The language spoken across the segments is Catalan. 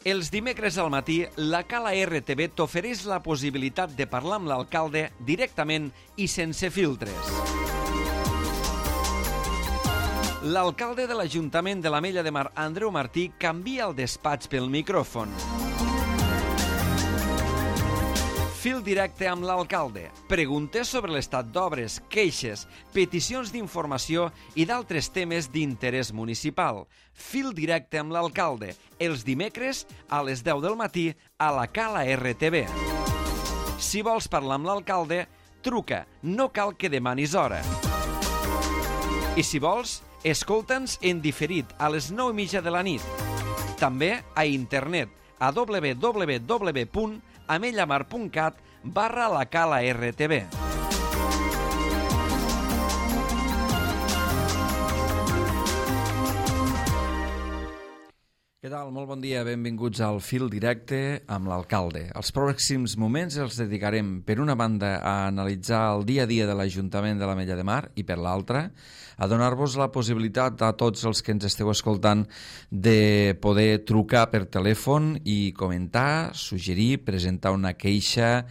Els dimecres al matí, la Cala RTV t'ofereix la possibilitat de parlar amb l'alcalde directament i sense filtres. L'alcalde de l'Ajuntament de l'Ametlla de Mar, Andreu Martí, canvia el despatx pel micròfon. Fil directe amb l'alcalde. Preguntes sobre l'estat d'obres, queixes, peticions d'informació i d'altres temes d'interès municipal. Fil directe amb l'alcalde. Els dimecres a les 10 del matí a la Cala RTV. Si vols parlar amb l'alcalde, truca. No cal que demanis hora. I si vols, escolta'ns en diferit a les 9:30 de la nit. També a internet a www.amellamar.cat/la Cala RTV. Què tal? Molt bon dia, benvinguts al Fil Directe amb l'alcalde. Els pròxims moments els dedicarem, per una banda, a analitzar el dia a dia de l'Ajuntament de l'Ametlla de Mar i, per l'altra, a donar-vos la possibilitat a tots els que ens esteu escoltant de poder trucar per telèfon i comentar, suggerir, presentar una queixa,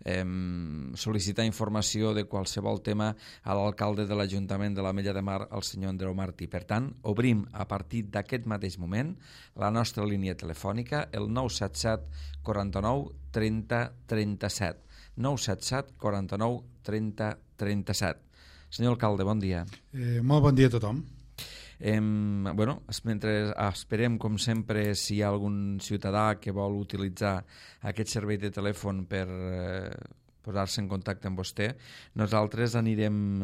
sol·licitar informació de qualsevol tema a l'alcalde de l'Ajuntament de l'Ametlla de Mar, el senyor Andreu Martí. Per tant, obrim a partir d'aquest mateix moment la nostra línia telefònica, el 977 49 30 37. 977 49 30 37. Senyor alcalde, bon dia. Molt bon dia a tothom. Mentre esperem, com sempre, si hi ha algun ciutadà que vol utilitzar aquest servei de telèfon per posar-se en contacte amb vostè, nosaltres anirem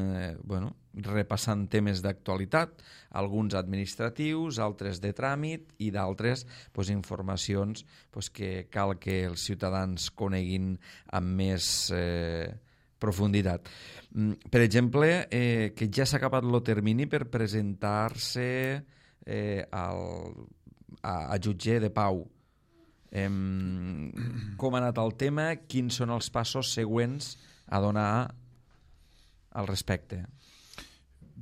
repassant temes d'actualitat, alguns administratius, altres de tràmit i d'altres informacions que cal que els ciutadans coneguin amb més profunditat. Per exemple, que ja s'ha acabat el termini per presentar-se a jutge de pau. Com ha anat el tema? Quins són els passos següents a donar al respecte?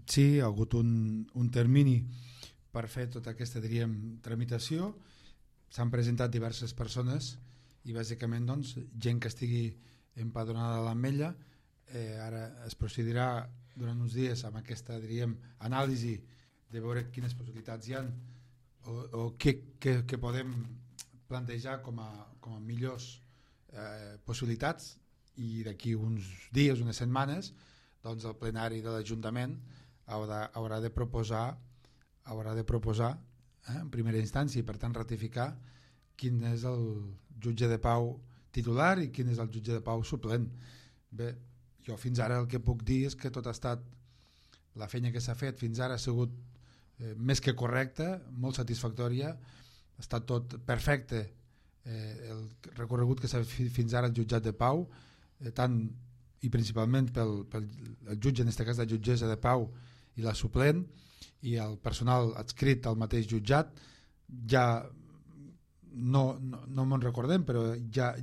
Sí, ha hagut un termini per fer tota aquesta, tramitació. S'han presentat diverses persones i bàsicament gent que estigui empadronada a l'Ametlla. Ara es procedirà durant uns dies amb aquesta anàlisi de veure quines possibilitats hi ha o què podem plantejar com a millors possibilitats, i d'aquí uns dies, unes setmanes, el plenari de l'Ajuntament haurà de proposar en primera instància i per tant ratificar quin és el jutge de pau titular i quin és el jutge de pau suplent. Bé, jo fins ara el que puc dir és que tot ha estat, la feina que s'ha fet fins ara ha sigut més que correcta, molt satisfactòria, ha estat tot perfecte, el recorregut que s'ha fet fins ara al jutjat de pau, tant i principalment pel jutge, en aquest cas la jutgessa de pau i la suplent, i el personal adscrit al mateix jutjat. Ja no me'n recordem, però ja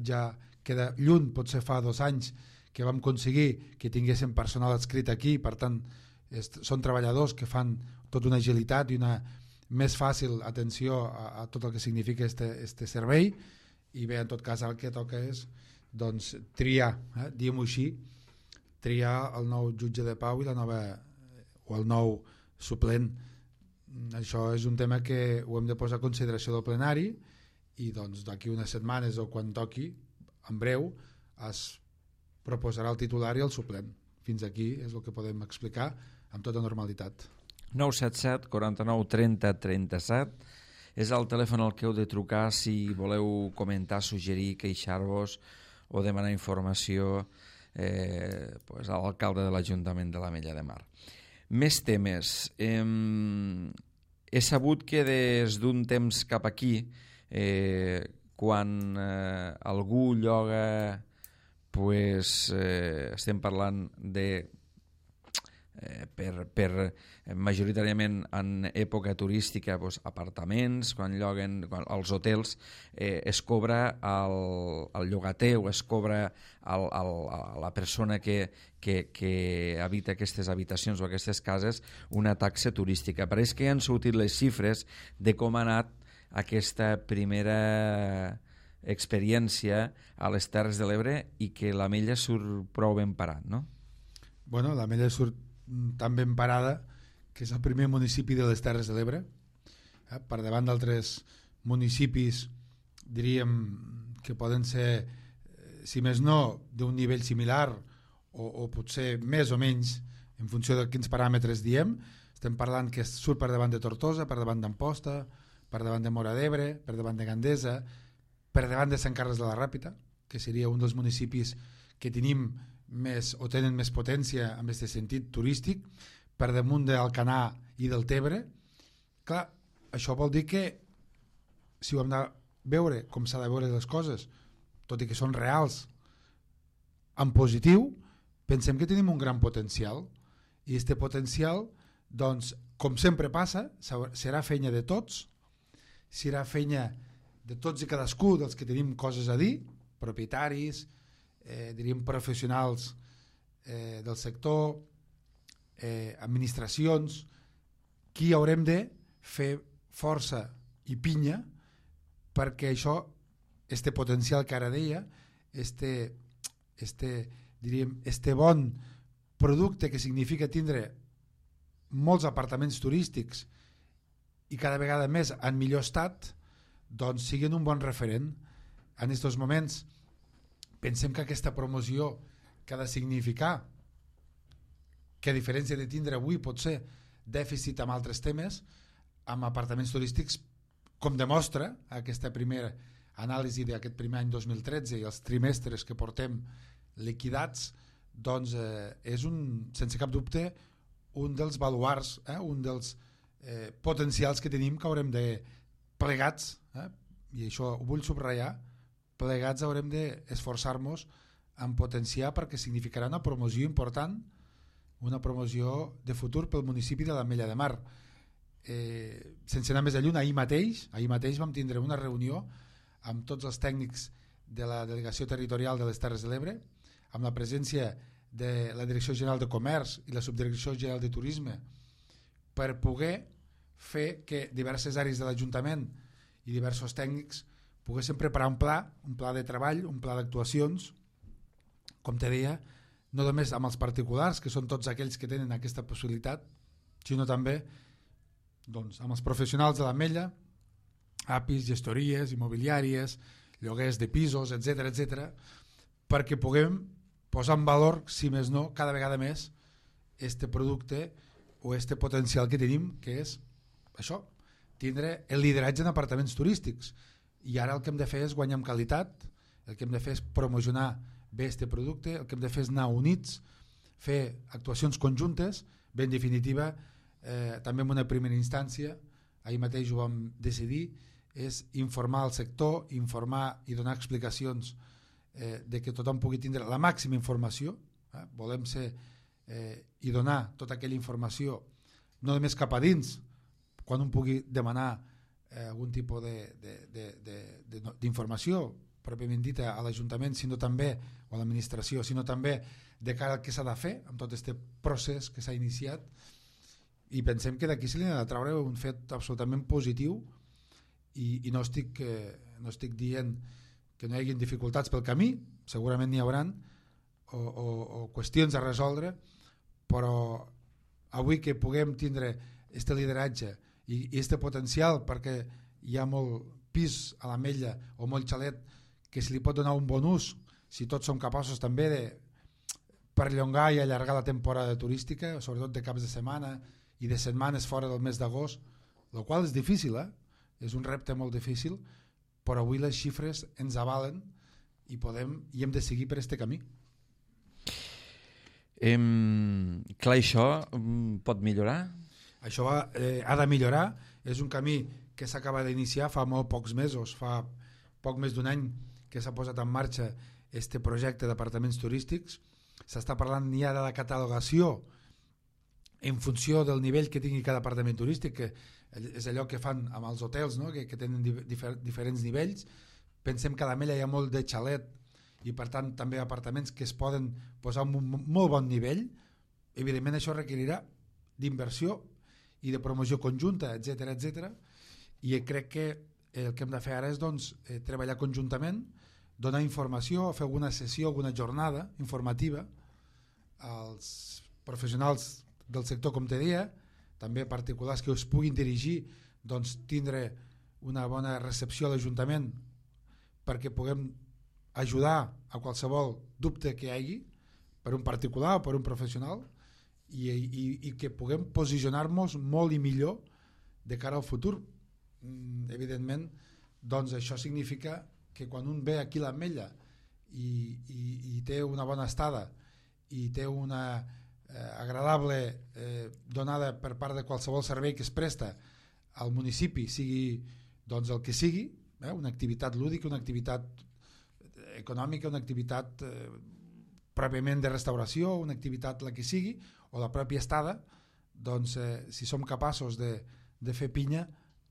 queda lluny, potser fa 2 anys que vam aconseguir que tinguéssim personal adscrit aquí, per tant són treballadors que fan tota una agilitat i una més fàcil atenció a tot el que significa este servei. I bé, en tot cas el que toca és triar, diguem-ho així, triar el nou jutge de pau i el nou suplent. Això és un tema que ho hem de posar a consideració del plenari i d'aquí unes setmanes o quan toqui, en breu, es proposarà el titular i el suplent. Fins aquí és el que podem explicar amb tota normalitat. 977 49 30 37 és el telèfon al que heu de trucar si voleu comentar, suggerir, queixar-vos o demanar informació a l'alcalde de l'Ajuntament de l'Ametlla de Mar. Més temes. He sabut que des d'un temps cap aquí, quan algú lloga, estem parlant de majoritàriament en època turística, apartaments, quan lloguen els hotels, es cobra al llogater o es cobra a la persona que habita aquestes habitacions o aquestes cases una taxa turística. Pareix que ja han sortit les xifres de com ha anat aquesta primera experiència a les Terres de l'Ebre i que l'Ametlla surt prou ben parat, no? Bueno, l'Ametlla surt tan ben parada que és el primer municipi de les Terres de l'Ebre, per davant d'altres municipis, diríem que poden ser, si més no, d'un nivell similar o potser més o menys en funció de quins paràmetres diem. Estem parlant que surt per davant de Tortosa, per davant d'Amposta, per davant de Móra d'Ebre, per davant de Gandesa, per davant de Sant Carles de la Ràpita, que seria un dels municipis que tenim més o tenen més potència en aquest sentit turístic, per damunt d'Alcanar i del Tebre. Clar, això vol dir que si ho hem de veure com s'ha de veure les coses, tot i que són reals, en positiu, pensem que tenim un gran potencial, i aquest potencial, doncs, com sempre passa, serà feina de tots, serà feina de tots i cadascú dels que tenim coses a dir, propietaris, diríem professionals del sector, administracions, qui haurem de fer força i pinya perquè això, este potencial que ara deia, este bon producte que significa tindre molts apartaments turístics i cada vegada més en millor estat, doncs siguin un bon referent. En aquests moments pensem que aquesta promoció que ha de significar que a diferència de tindre avui potser dèficit amb altres temes, amb apartaments turístics, com demostra aquesta primera anàlisi d'aquest primer any 2013 i els trimestres que portem liquidats, doncs és sense cap dubte un dels baluards, un dels potencials que tenim, que haurem de plegats, i això ho vull subratllar, plegats haurem d'esforçar-nos en potenciar, perquè significarà una promoció important, una promoció de futur pel municipi de l'Ametlla de Mar. Sense anar més lluny, ahir mateix vam tindre una reunió amb tots els tècnics de la Delegació Territorial de les Terres de l'Ebre, amb la presència de la Direcció General de Comerç i la Subdirecció General de Turisme, per poder fer que diverses àrees de l'Ajuntament i diversos tècnics poguessin preparar un pla de treball, un pla d'actuacions, com te deia, no només amb els particulars, que són tots aquells que tenen aquesta possibilitat, sinó també doncs, amb els professionals de l'Ametlla, APIs, gestories, immobiliàries, lloguers de pisos, etc, perquè puguem posar en valor, si més no, cada vegada més este producte o este potencial que tenim, que és això, tindre el lideratge en apartaments turístics. I ara el que hem de fer és guanyar en qualitat, el que hem de fer és promocionar bé este producte, el que hem de fer és anar units, fer actuacions conjuntes, bé, en definitiva, també en una primera instància, ahir mateix ho vam decidir, és informar el sector, informar i donar explicacions de que tothom pugui tindre la màxima informació, volem ser i donar tota aquella informació, no només cap a dins, quan un pugui demanar algun tipus d'informació pròpiament dita a l'Ajuntament, sinó també, o a l'administració, sinó també de cara al que s'ha de fer amb tot aquest procés que s'ha iniciat, i pensem que d'aquí se li ha de treure un fet absolutament positiu, i no estic dient que no hi hagi dificultats pel camí, segurament n'hi hauran, o qüestions a resoldre, però avui que puguem tindre aquest lideratge i aquest potencial, perquè hi ha molt pis a l'Ametlla o molt xalet que se li pot donar un bon ús, si tots som capaços també de perllongar i allargar la temporada turística, sobretot de caps de setmana i de setmanes fora del mes d'agost, el qual és difícil, és un repte molt difícil, però avui les xifres ens avalen i hem de seguir per este camí. Clar, això pot millorar? Això ha de millorar, és un camí que s'acaba d'iniciar fa molt pocs mesos, fa poc més d'un any que s'ha posat en marxa este projecte d'apartaments turístics. S'està parlant ja de la catalogació en funció del nivell que tingui cada apartament turístic, que és allò que fan amb els hotels, no? que tenen diferents nivells. Pensem que a l'Ametlla hi ha molt de xalet i per tant també apartaments que es poden posar en un molt bon nivell. Evidentment això requerirà d'inversió i de promoció conjunta, etc. I crec que el que hem de fer ara és treballar conjuntament, donar informació, fer alguna sessió, alguna jornada informativa als professionals del sector, com te deia, també particulars que us puguin dirigir, tindre una bona recepció a l'Ajuntament perquè puguem ajudar a qualsevol dubte que hi hagi per un particular o per un professional i que puguem posicionar-nos molt i millor de cara al futur. Evidentment, això significa que quan un ve aquí a l'Ametlla i té una bona estada i té una agradable donada per part de qualsevol servei que es presta al municipi, sigui el que sigui, una activitat lúdica, una activitat econòmica, una activitat pròpiament de restauració, una activitat la que sigui, o la pròpia estada, si som capaços de fer pinya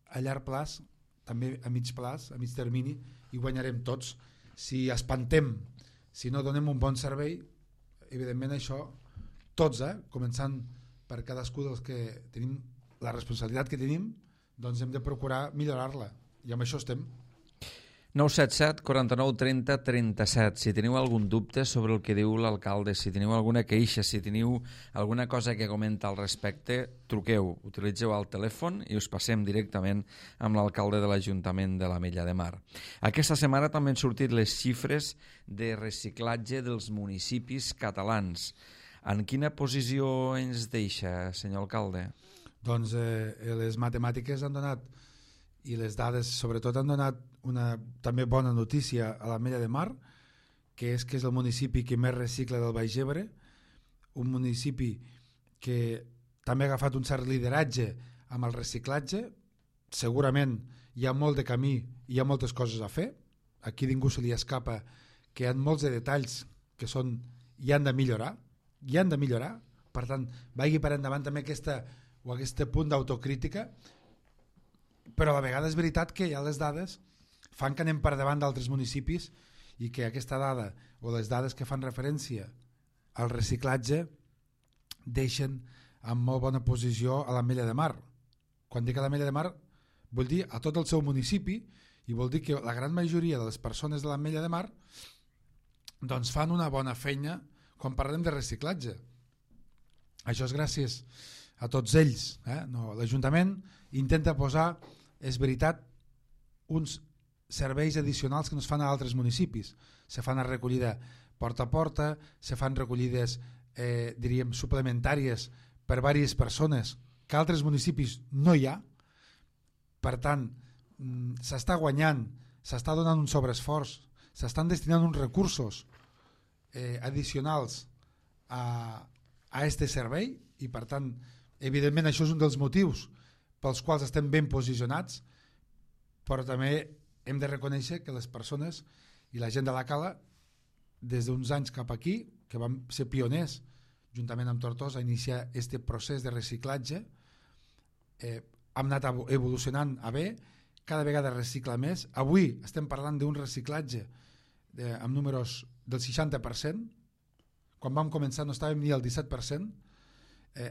a llarg plaç, també a mig plaç, a mig termini, hi guanyarem tots. Si espantem, si no donem un bon servei, evidentment això, tots, començant per cadascú dels que tenim la responsabilitat que tenim, hem de procurar millorar-la, i amb això estem. 977 49 30 37. Si teniu algun dubte sobre el que diu l'alcalde, si teniu alguna queixa, si teniu alguna cosa que comenta al respecte, truqueu, utilitzeu el telèfon i us passem directament amb l'alcalde de l'Ajuntament de l'Ametlla de Mar. Aquesta setmana també han sortit les xifres de reciclatge dels municipis catalans. En quina posició ens deixa, senyor alcalde? Les matemàtiques han donat, i les dades sobretot han donat una també bona notícia a l'Ametlla de Mar, que és el municipi que més recicla del Baix Ebre, un municipi que també ha agafat un cert lideratge amb el reciclatge. Segurament hi ha molt de camí i hi ha moltes coses a fer, aquí ningú se li escapa que hi ha molts de detalls que hi han de millorar, per tant vagi per endavant també aquest punt d'autocrítica, però a la vegada és veritat que ja les dades fan que anem per davant d'altres municipis i que aquesta dada o les dades que fan referència al reciclatge deixen en molt bona posició a l'Ametlla de Mar. Quan dic a l'Ametlla de Mar vull dir a tot el seu municipi, i vol dir que la gran majoria de les persones de l'Ametlla de Mar fan una bona feina quan parlem de reciclatge. Això és gràcies a tots ells. L'Ajuntament intenta posar, és veritat, uns serveis addicionals que no es fan a altres municipis. Se fan a recollida porta a porta, se fan recollides diríem suplementàries per diverses persones que a altres municipis no hi ha. Per tant, s'està guanyant, s'està donant un sobreesforç, s'estan destinant uns recursos addicionals a aquest servei, i per tant evidentment això és un dels motius pels quals estem ben posicionats, però també hem de reconèixer que les persones i la gent de la Cala, des d'uns anys cap aquí, que vam ser pioners juntament amb Tortosa a iniciar aquest procés de reciclatge, hem anat evolucionant a bé, cada vegada recicla més. Avui estem parlant d'un reciclatge amb números del 60%, quan vam començar no estàvem ni al 17%,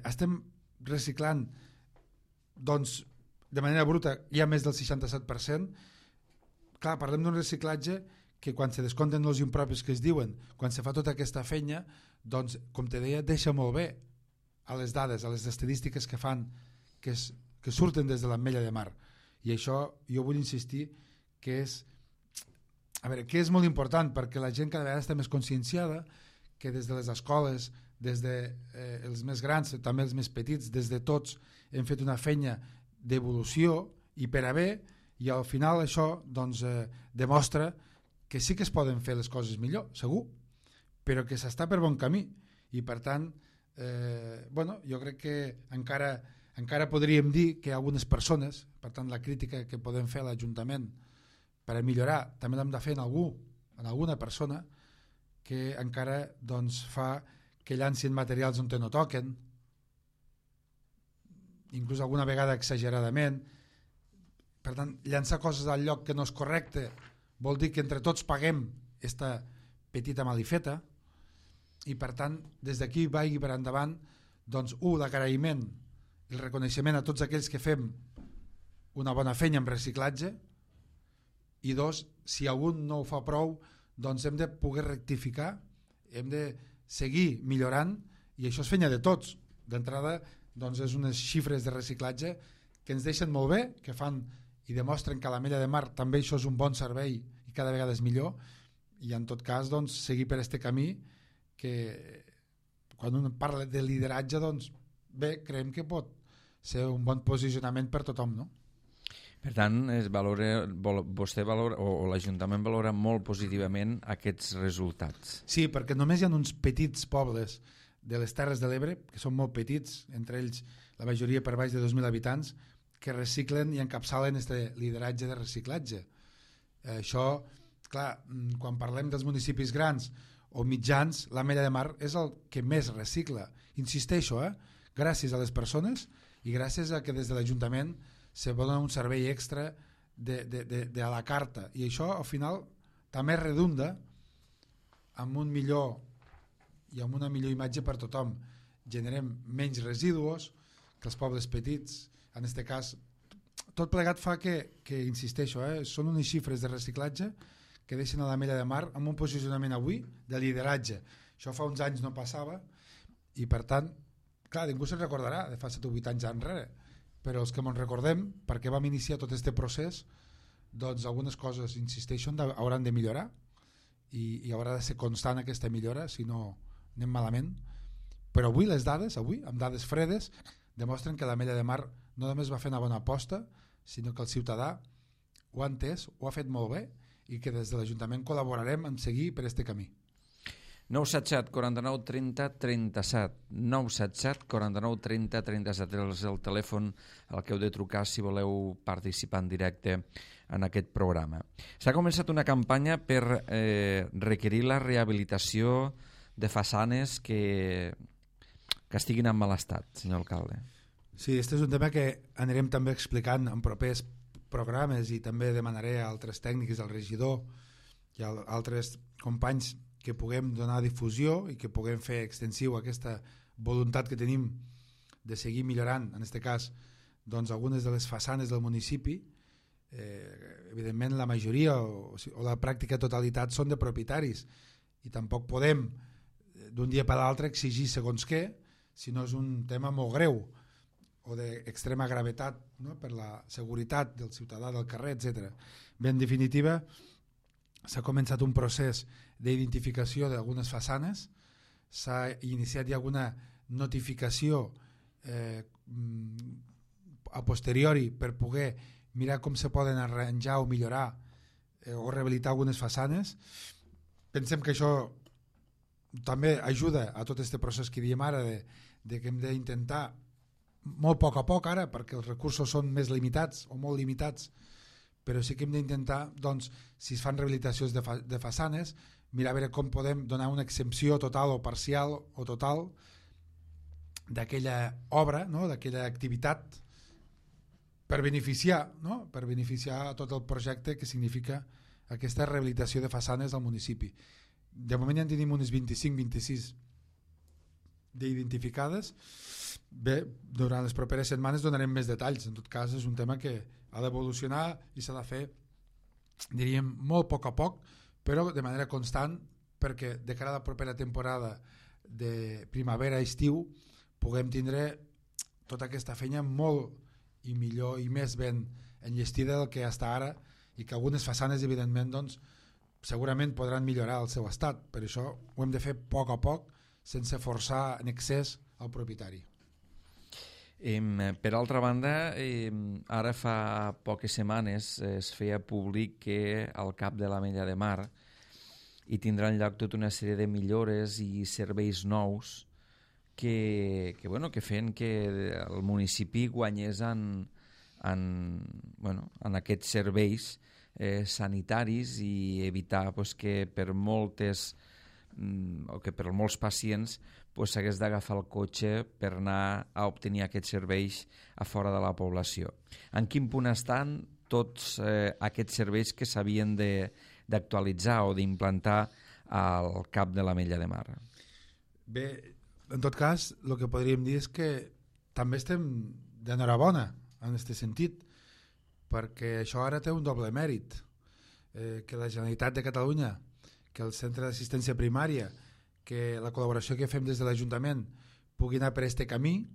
estem reciclant de manera bruta ja més del 67%. Clar, parlem d'un reciclatge que quan se descompten els impropis que es diuen, quan se fa tota aquesta feina, com te deia, deixa molt bé a les dades, a les estadístiques que fan, que surten des de l'Ametlla de Mar. I això jo vull insistir que és molt important, perquè la gent cada vegada està més conscienciada que des de les escoles, des dels més grans, també els més petits, des de tots hem fet una feina d'evolució i per a bé, i al final això demostra que sí que es poden fer les coses millor, segur, però que s'està per bon camí, i per tant jo crec que encara podríem dir que algunes persones, per tant la crítica que podem fer a l'Ajuntament per a millorar també l'hem de fer en alguna persona que encara fa que llancin materials on no toquen, inclús alguna vegada exageradament. Per tant, llançar coses al lloc que no és correcte vol dir que entre tots paguem aquesta petita malifeta, i per tant des d'aquí vagi per endavant l'agraïment, el reconeixement a tots aquells que fem una bona feina amb reciclatge, i dos, si algun no ho fa prou, doncs hem de poder rectificar, hem de seguir millorant, i això és feina de tots. D'entrada, doncs és unes xifres de reciclatge que ens deixen molt bé, que fan i demostren que a l'Ametlla de Mar també això és un bon servei i cada vegada és millor, i en tot cas doncs, seguir per este camí que quan un parla de lideratge, doncs bé, creiem que pot ser un bon posicionament per tothom, no? Per tant, vostè valora, o l'Ajuntament valora molt positivament aquests resultats. Sí, perquè només hi ha uns petits pobles de les Terres de l'Ebre, que són molt petits, entre ells la majoria per baix de 2.000 habitants, que reciclen i encapçalen este lideratge de reciclatge. Això, clar, quan parlem dels municipis grans o mitjans, l'Ametlla de Mar és el que més recicla. Insisteixo, gràcies a les persones i gràcies a que des de l'Ajuntament se dona un servei extra de a la carta, i això al final també redunda amb un millor i amb una millor imatge per tothom. Generem menys residus que els pobles petits. En aquest cas, tot plegat fa que insisteixo, són unes xifres de reciclatge que deixen a l'Ametlla de Mar amb un posicionament avui de lideratge. Això fa uns anys no passava, i per tant, clar, ningú se'n recordarà de fa 7 o 8 anys enrere, però els que ens recordem, perquè vam iniciar tot aquest procés, doncs algunes coses, insisteixo, hauran de millorar, i haurà de ser constant aquesta millora, si no anem malament. Però avui les dades, amb dades fredes, demostren que l'Ametlla de Mar no només va fer una bona aposta, sinó que el ciutadà ho ha entès, ho ha fet molt bé, i que des de l'Ajuntament col·laborarem en seguir per este camí. 977 49 30 37 977 49 30 37 és el telèfon al que heu de trucar si voleu participar en directe en aquest programa. S'ha començat una campanya per requerir la rehabilitació de façanes que estiguin en mal estat, senyor alcalde. Sí, este és un tema que anirem també explicant en propers programes, i també demanaré a altres tècnics, al regidor i a altres companys, que puguem donar difusió i que puguem fer extensiu aquesta voluntat que tenim de seguir millorant, en aquest cas, doncs, algunes de les façanes del municipi. Evidentment la majoria o la pràctica totalitat són de propietaris, i tampoc podem d'un dia per l'altre exigir segons què, si no és un tema molt greu o d'extrema gravetat, no? Per la seguretat del ciutadà del carrer, etc. Bé, en definitiva, s'ha començat un procés d'identificació d'algunes façanes, s'ha iniciat ja alguna notificació a posteriori per poder mirar com se poden arranjar o millorar o rehabilitar algunes façanes. Pensem que això també ajuda a tot aquest procés que diem ara de que hem d'intentar molt a poc ara, perquè els recursos són més limitats o molt limitats, però sí que hem d'intentar, doncs, si es fan rehabilitacions de façanes, mirar a veure com podem donar una exempció total o parcial o total d'aquella obra, no? D'aquella activitat, per beneficiar, no? Per beneficiar tot el projecte que significa aquesta rehabilitació de façanes al municipi. De moment ja en tenim unes 25-26 d'identificades. Bé, durant les properes setmanes donarem més detalls. En tot cas, és un tema que ha d'evolucionar i s'ha de fer, diríem, molt a poc, però de manera constant, perquè de cara a la propera temporada de primavera-estiu puguem tindre tota aquesta feina molt i millor i més ben enllestida del que està ara, i que algunes façanes, evidentment, doncs, segurament podran millorar el seu estat. Per això ho hem de fer a poc, sense forçar en excés el propietari. Per altra banda, ara fa poques setmanes es feia públic que al cap de l'Ametlla de Mar hi tindran lloc tota una sèrie de millores i serveis nous que feien que el municipi guanyés en aquests serveis sanitaris, i evitar que per molts pacients s'hagués d'agafar el cotxe per anar a obtenir aquests serveis a fora de la població. En quin punt estan tots aquests serveis que s'havien d'actualitzar o d'implantar al cap de l'Ametlla de Mar? Bé, en tot cas, el que podríem dir és que també estem d'enhorabona en aquest sentit, perquè això ara té un doble mèrit. que la Generalitat de Catalunya, que el Centre d'Assistència Primària, que la col·laboració que fem des de l'Ajuntament pugui anar per aquest camí,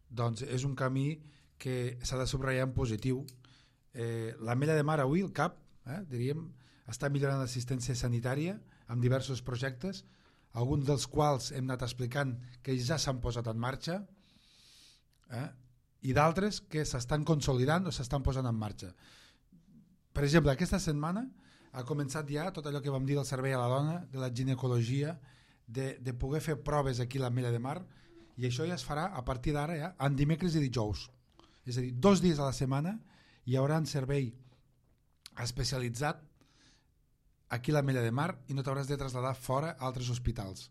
doncs és un camí que s'ha de subratllar en positiu. L'Ametlla de Mar avui, el CAP, diríem, està millorant l'assistència sanitària amb diversos projectes, alguns dels quals hem anat explicant que ja s'han posat en marxa, i d'altres que s'estan consolidant o s'estan posant en marxa. Per exemple, aquesta setmana ha començat ja tot allò que vam dir del servei a la dona, de la ginecologia, de poder fer proves aquí a l'Ametlla de Mar, i això ja es farà a partir d'ara ja en dimecres i dijous. És a dir, 2 dies a la setmana hi haurà un servei especialitzat aquí a l'Ametlla de Mar i no t'hauràs de traslladar fora a altres hospitals.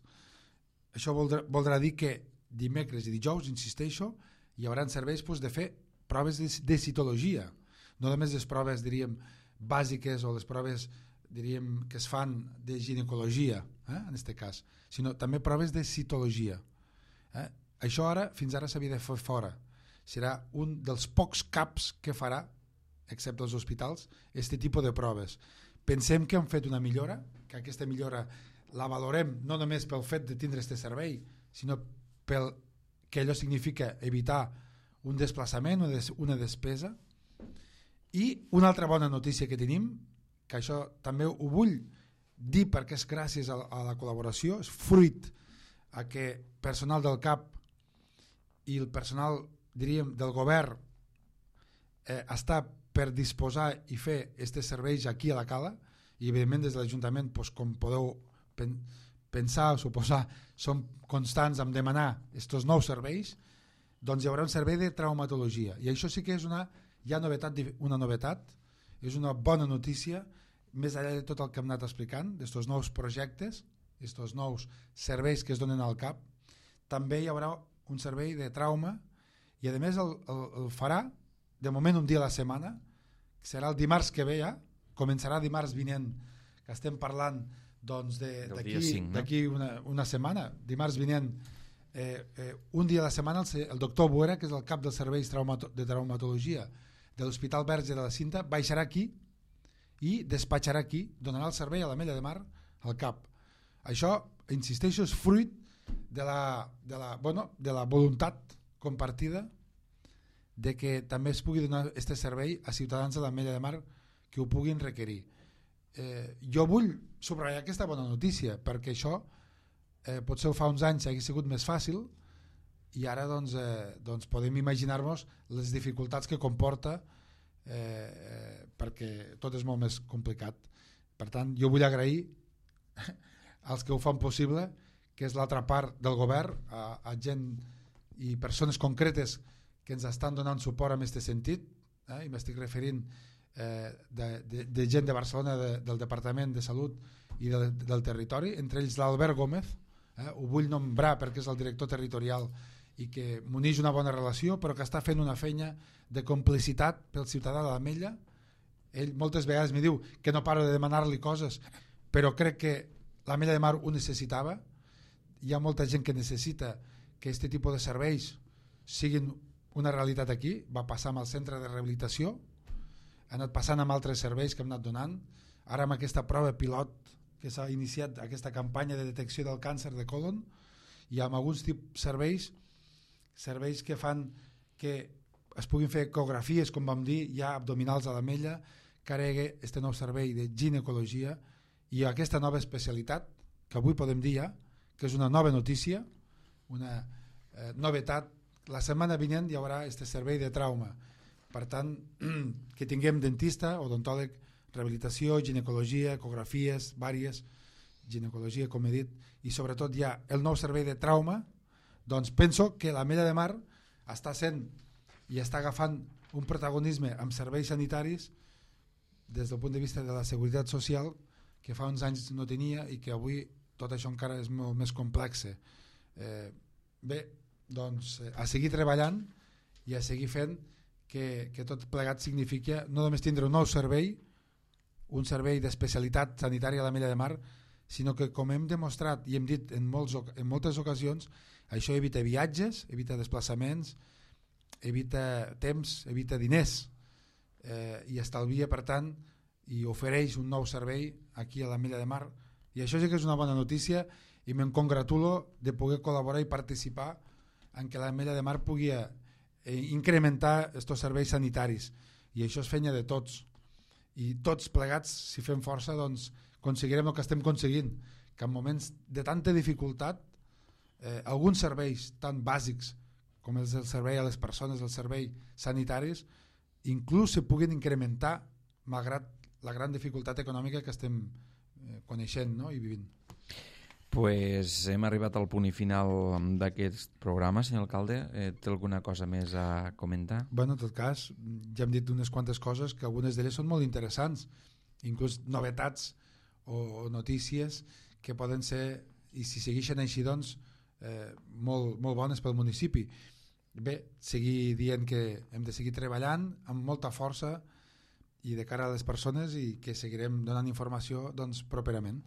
Això voldrà dir que dimecres i dijous, insisteixo, hi haurà serveis de fer proves de citologia, no només les proves, diríem, bàsiques o les proves, diríem, que es fan de ginecologia, en aquest cas, sinó també proves de citologia. Això fins ara s'havia de fer fora. Serà un dels pocs CAPs que farà, excepte els hospitals, aquest tipus de proves. Pensem que hem fet una millora, que aquesta millora la valorem no només pel fet de tindre aquest servei, sinó pel que allò significa evitar un desplaçament o una despesa. I una altra bona notícia que tenim, que això també ho vull dir perquè és gràcies a la col·laboració, és fruit a que personal del CAP i el personal, diríem, del govern està per disposar i fer aquests serveis aquí a la Cala, i evidentment des de l'Ajuntament, com podeu pensar o suposar, som constants en demanar aquests nous serveis. Doncs hi haurà un servei de traumatologia, i això sí que és una novetat, és una bona notícia, més enllà de tot el que hem anat explicant, d'aquests nous projectes, aquests nous serveis que es donen al CAP. També hi haurà un servei de trauma, i a més el farà de moment un dia a la setmana, que serà el dimarts que ve ja, començarà dimarts vinent, que estem parlant d'aquí una setmana, dimarts vinent, un dia a la setmana el doctor Buera, que és el cap dels serveis de traumatologia de l'Hospital Verge de la Cinta, baixarà aquí i despatxarà aquí, donarà el servei a l'Ametlla de Mar al CAP. Això, insisteixo, és fruit de la voluntat compartida de que també es pugui donar aquest servei a ciutadans de l'Ametlla de Mar que ho puguin requerir. Jo vull subratllar aquesta bona notícia, perquè això potser fa uns anys hauria sigut més fàcil, i ara doncs podem imaginar-nos les dificultats que comporta, perquè tot és molt més complicat. Per tant, jo vull agrair als que ho fan possible, que és l'altra part del govern, a gent i persones concretes que ens estan donant suport en aquest sentit, i m'estic referint de gent de Barcelona, del Departament de Salut i del territori, entre ells l'Albert Gómez, ho vull nombrar perquè és el director territorial i que m'uneix una bona relació, però que està fent una feina de complicitat pel ciutadà de l'Ametlla. Ell moltes vegades me diu que no paro de demanar-li coses, però crec que l'Ametlla de Mar ho necessitava. Hi ha molta gent que necessita que aquest tipus de serveis siguin una realitat aquí. Va passar amb el centre de rehabilitació, ha anat passant amb altres serveis que hem anat donant, ara amb aquesta prova pilot que s'ha iniciat, aquesta campanya de detecció del càncer de còlon, i amb alguns serveis que fan que es puguin fer ecografies, com vam dir, ja abdominals a l'Ametlla, que ara hi ha aquest nou servei de ginecologia i aquesta nova especialitat, que avui podem dir ja, que és una nova notícia, una novetat. La setmana vinent hi haurà aquest servei de trauma. Per tant, que tinguem dentista, odontòleg, rehabilitació, ginecologia, ecografies, vàries, ginecologia, com he dit, i sobretot ja el nou servei de trauma, doncs penso que l'Ametlla de Mar està sent i està agafant un protagonisme amb serveis sanitaris des del punt de vista de la seguretat social que fa uns anys no tenia i que avui tot això encara és molt més complex. Bé, doncs a seguir treballant i a seguir fent que tot plegat significa no només tindre un nou servei, un servei d'especialitat sanitària a l'Ametlla de Mar, sinó que, com hem demostrat i hem dit en moltes ocasions, això evita viatges, evita desplaçaments, evita temps, evita diners, i estalvia, per tant, i ofereix un nou servei aquí a l'Ametlla de Mar, i això sí que és una bona notícia i me'n congratulo de poder col·laborar i participar en que l'Ametlla de Mar pugui incrementar aquests serveis sanitaris, i això és feina de tots, i tots plegats, si fem força, doncs aconseguirem el que estem aconseguint, que en moments de tanta dificultat alguns serveis tan bàsics com és el servei a les persones, els serveis sanitaris, inclús se puguin incrementar malgrat la gran dificultat econòmica que estem coneixent, no? I vivint. Pues hem arribat al punt i final d'aquest programa, senyor alcalde. Té alguna cosa més a comentar? Bueno, en tot cas, ja hem dit unes quantes coses que algunes d'elles són molt interessants, inclús novetats o notícies que poden ser, i si segueixen així, doncs, molt bones pel municipi. Bé, seguir dient que hem de seguir treballant amb molta força i de cara a les persones, i que seguirem donant informació, doncs, properament.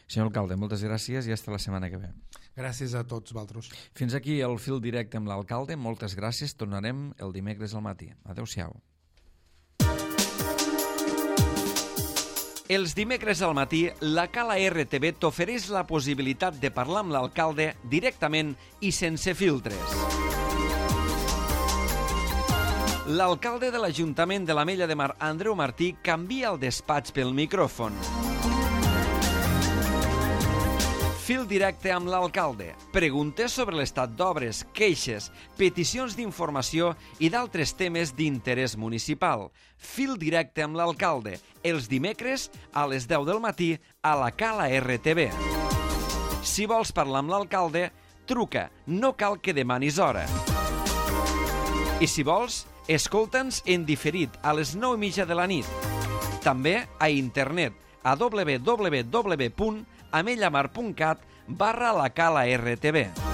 Senyor alcalde, moltes gràcies i hasta la setmana que ve. Gràcies a tots vosaltres. Fins aquí el fil directe amb l'alcalde. Moltes gràcies. Tornarem el dimecres al matí. Adéu-siau. Els dimecres al matí, la Cala RTV t'ofereix la possibilitat de parlar amb l'alcalde directament i sense filtres. L'alcalde de l'Ajuntament de l'Ametlla de Mar, Andreu Martí, canvia el despatx pel micròfon. Fil directe amb l'alcalde. Preguntes sobre l'estat d'obres, queixes, peticions d'informació i d'altres temes d'interès municipal. Fil directe amb l'alcalde. Els dimecres a les 10 del matí a la Cala RTV. Si vols parlar amb l'alcalde, truca. No cal que demanis hora. I si vols, escolta'ns en diferit a les 9:30 de la nit. També a internet a www.amellamar.cat/la Cala RTV.